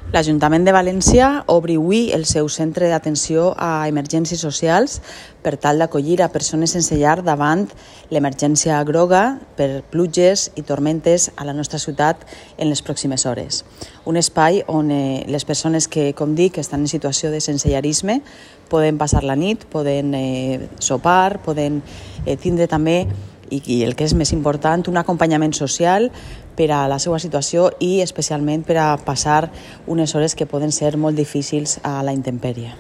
L'Ajuntament de València obre avui el seu centre d'atenció a emergències socials per tal d'acollir a persones sense llar davant l'emergència groga per pluges i tormentes a la nostra ciutat en les pròximes hores. Un espai on les persones que, com dic, estan en situació de sensellarisme poden passar la nit, poden sopar, poden tindre també, i el que és més important, un acompanyament social per a la seva situació i especialment per a passar unes hores que poden ser molt difícils a la intempèrie.